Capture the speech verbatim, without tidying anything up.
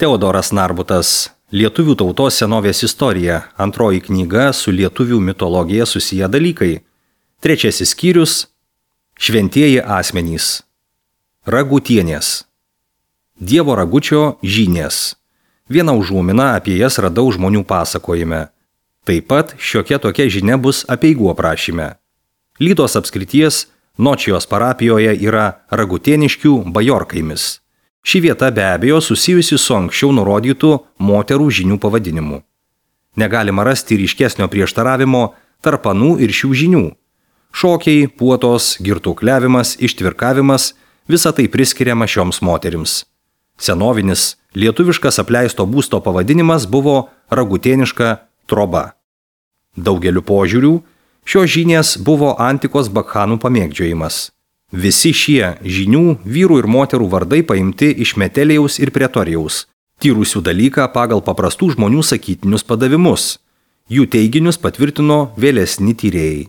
Teodoras Narbutas, Lietuvių tautos senovės istorija, antroji knyga su lietuvių mitologija susiję dalykai. Trečiasis skyrius – Šventieji asmenys. Ragutienės. Dievo ragučio žynės. Vieną užuominą apie jas radau žmonių pasakojime. Taip pat šiokia tokia žinia bus apeigų aprašyme. Lydos apskrities Nočijos parapijoje yra Ragutieniškių bajorkaimis. Ši vieta be abejo susijusi su anksčiau nurodytų moterų žinių pavadinimu. Negalima rasti ryškesnio prieštaravimo tarp anų ir šių žinių. Šokiai, puotos, girtukliavimas, ištvirkavimas – visa tai priskiriama šioms moterims. Senovinis, lietuviškas apleisto būsto pavadinimas buvo Ragutieniška troba. Daugeliu požiūrių, šios žynės buvo antikos bakchanų pamėgdžiojimas. Visi šie žinių, vyrų ir moterų vardai paimti iš Metelijaus ir Pretorijaus, tyrusių dalyką pagal paprastų žmonių sakytinius padavimus. Jų teiginius patvirtino vėlesni tyrėjai.